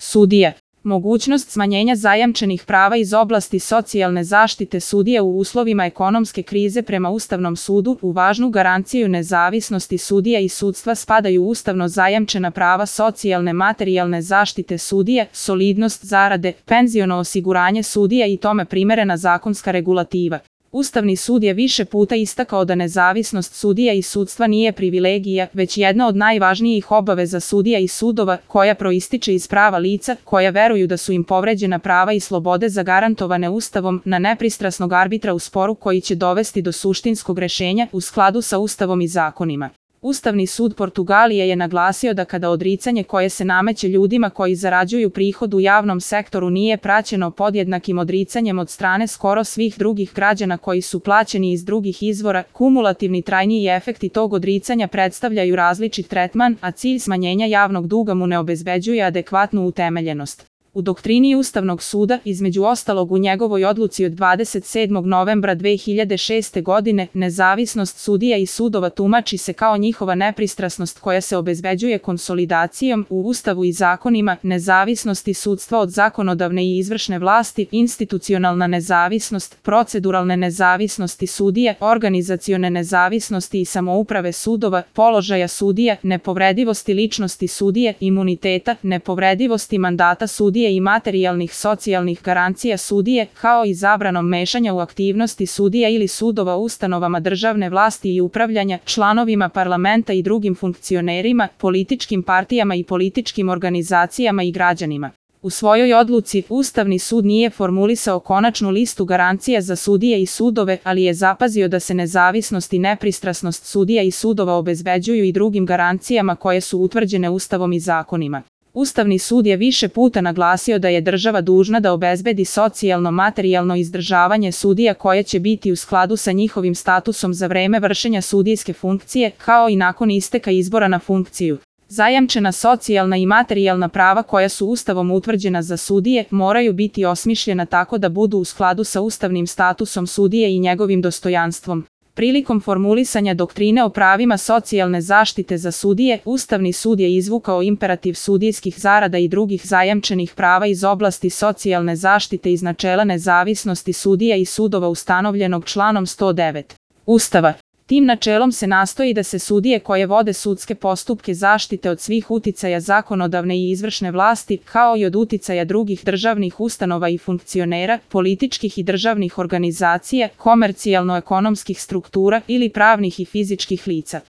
Sudija. Mogućnost smanjenja zajamčenih prava iz oblasti socijalne zaštite sudija u uslovima ekonomske krize prema Ustavnom sudu u važnu garanciju nezavisnosti sudija i sudstva spadaju ustavno zajamčena prava socijalne materijalne zaštite sudija, solidnost zarade, penziono osiguranje sudija i tome primerena zakonska regulativa. Ustavni sud je više puta istakao da nezavisnost sudija i sudstva nije privilegija, već jedna od najvažnijih obaveza sudija i sudova, koja proističe iz prava lica, koja veruju da su im povređena prava i slobode zagarantovane Ustavom, na nepristrasnog arbitra u sporu koji će dovesti do suštinskog rešenja u skladu sa Ustavom i zakonima. Ustavni sud Portugalije je naglasio da kada odricanje koje se nameće ljudima koji zarađuju prihod u javnom sektoru nije praćeno podjednakim odricanjem od strane skoro svih drugih građana koji su plaćeni iz drugih izvora, kumulativni trajniji efekti tog odricanja predstavljaju različit tretman, a cilj smanjenja javnog duga mu ne obezbeđuje adekvatnu utemeljenost. U doktrini Ustavnog suda, između ostalog u njegovoj odluci od 27. novembra 2006. godine, nezavisnost sudija i sudova tumači se kao njihova nepristrasnost koja se obezbeđuje konsolidacijom u Ustavu i zakonima, nezavisnosti sudstva od zakonodavne i izvršne vlasti, institucionalna nezavisnost, proceduralne nezavisnosti sudija, organizacione nezavisnosti i samouprave sudova, položaja sudija, nepovredivosti ličnosti sudije, imuniteta, nepovredivosti mandata sudije i materijalnih socijalnih garancija sudije, kao i zabranom mešanja u aktivnosti sudija ili sudova ustanovama državne vlasti i upravljanja, članovima parlamenta i drugim funkcionerima, političkim partijama i političkim organizacijama i građanima. U svojoj odluci, Ustavni sud nije formulisao konačnu listu garancija za sudije i sudove, ali je zapazio da se nezavisnost i nepristrasnost sudija i sudova obezbeđuju i drugim garancijama koje su utvrđene Ustavom i zakonima. Ustavni sud je više puta naglasio da je država dužna da obezbedi socijalno-materijalno izdržavanje sudija koje će biti u skladu sa njihovim statusom za vreme vršenja sudijske funkcije, kao i nakon isteka izbora na funkciju. Zajamčena socijalna i materijalna prava koja su Ustavom utvrđena za sudije moraju biti osmišljena tako da budu u skladu sa ustavnim statusom sudije i njegovim dostojanstvom. Prilikom formulisanja doktrine o pravima socijalne zaštite za sudije, Ustavni sud je izvukao imperativ sudijskih zarada i drugih zajamčenih prava iz oblasti socijalne zaštite iz načela nezavisnosti sudija i sudova ustanovljenog članom 109. Ustava. Tim načelom se nastoji da se sudije koje vode sudske postupke zaštite od svih uticaja zakonodavne i izvršne vlasti, kao i od uticaja drugih državnih ustanova i funkcionera, političkih i državnih organizacija, komercijalno-ekonomskih struktura ili pravnih i fizičkih lica.